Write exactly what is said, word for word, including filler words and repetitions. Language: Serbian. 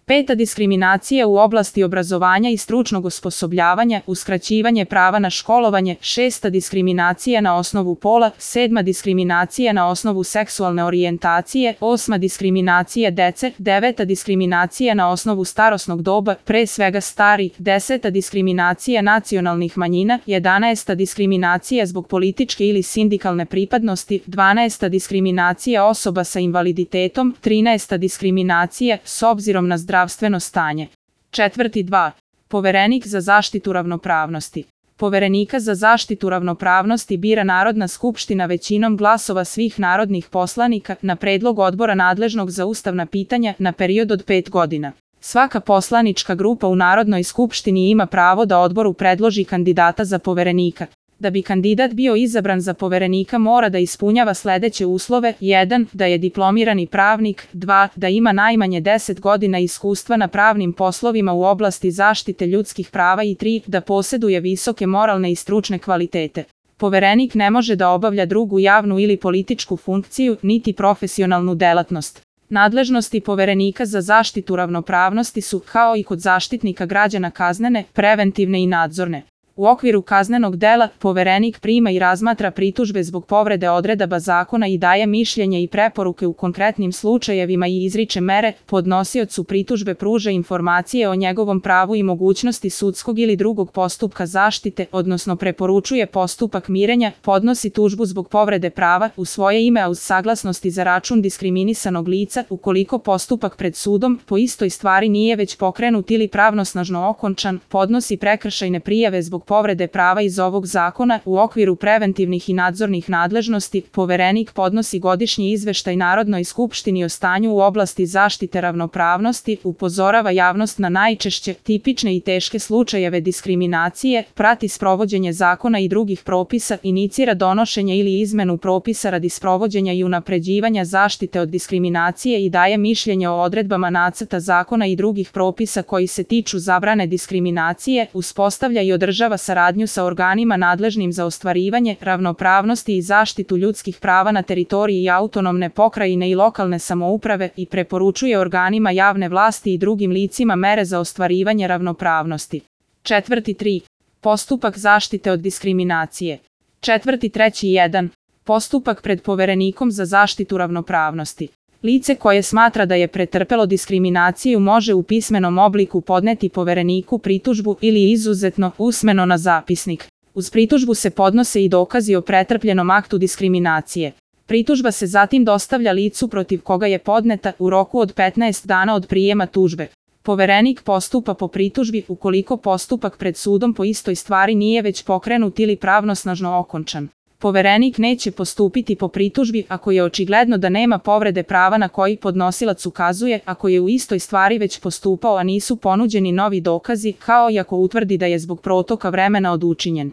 Peta diskriminacija u oblasti obrazovanja i stručnog osposobljavanja, uskraćivanje prava na školovanje. Šesta diskriminacija na osnovu pola. Sedma diskriminacija na osnovu seksualne orijentacije. Osma diskriminacija dece. Deveta diskriminacija na osnovu starosnog doba, pre svega stari. Deseta diskriminacija nacionalnih manjina. Jedanaesta diskriminacija zbog političke ili sindikalne pripadnosti. Dvanaesta diskriminacija osoba sa invaliditetom. Trinaesta diskriminacija s obzirom na zdravstveno stanje. Četvrti dva. Poverenik za zaštitu ravnopravnosti. Poverenika za zaštitu ravnopravnosti bira Narodna skupština većinom glasova svih narodnih poslanika na predlog odbora nadležnog za ustavna pitanja na period od pet godina. Svaka poslanička grupa u Narodnoj skupštini ima pravo da odboru predloži kandidata za poverenika. Da bi kandidat bio izabran za poverenika mora da ispunjava sledeće uslove: jedan. Da je diplomirani pravnik. dva. Da ima najmanje deset godina iskustva na pravnim poslovima u oblasti zaštite ljudskih prava i tri. Da poseduje visoke moralne i stručne kvalitete. Poverenik ne može da obavlja drugu javnu ili političku funkciju, niti profesionalnu delatnost. Nadležnosti Poverenika za zaštitu ravnopravnosti su, kao i kod Zaštitnika građana, kaznene, preventivne i nadzorne. U okviru kaznenog dela, Poverenik prima i razmatra pritužbe zbog povrede odredaba zakona i daje mišljenje i preporuke u konkretnim slučajevima i izriče mere. Podnosiocu pritužbe pruža informacije o njegovom pravu i mogućnosti sudskog ili drugog postupka zaštite, odnosno preporučuje postupak mirenja, podnosi tužbu zbog povrede prava u svoje ime a uz saglasnost i za račun diskriminisanog lica, ukoliko postupak pred sudom po istoj stvari nije već pokrenut ili pravnosnažno okončan, podnosi prekršajne prijave zbog povrede prava iz ovog zakona. U okviru preventivnih i nadzornih nadležnosti, Poverenik podnosi godišnji izveštaj Narodnoj skupštini o stanju u oblasti zaštite ravnopravnosti, upozorava javnost na najčešće, tipične i teške slučajeve diskriminacije, prati sprovođenje zakona i drugih propisa, inicira donošenje ili izmenu propisa radi sprovođenja i unapređivanja zaštite od diskriminacije i daje mišljenje o odredbama nacrta zakona i drugih propisa koji se tiču zabrane diskriminacije, uspostavlja i održava saradnju sa organima nadležnim za ostvarivanje ravnopravnosti i zaštitu ljudskih prava na teritoriji autonomne pokrajine i lokalne samouprave i preporučuje organima javne vlasti i drugim licima mere za ostvarivanje ravnopravnosti. Četvrti tri. Postupak zaštite od diskriminacije. Četvrti treći jedan. Postupak pred Poverenikom za zaštitu ravnopravnosti. Lice koje smatra da je pretrpelo diskriminaciju može u pismenom obliku podneti Povereniku pritužbu ili izuzetno usmeno na zapisnik. Uz pritužbu se podnose i dokazi o pretrpljenom aktu diskriminacije. Pritužba se zatim dostavlja licu protiv koga je podneta u roku od petnaest dana od prijema tužbe. Poverenik postupa po pritužbi ukoliko postupak pred sudom po istoj stvari nije već pokrenut ili pravnosnažno okončan. Poverenik neće postupiti po pritužbi ako je očigledno da nema povrede prava na koji podnosilac ukazuje, ako je u istoj stvari već postupao a nisu ponuđeni novi dokazi, kao i ako utvrdi da je zbog protoka vremena od učinjen.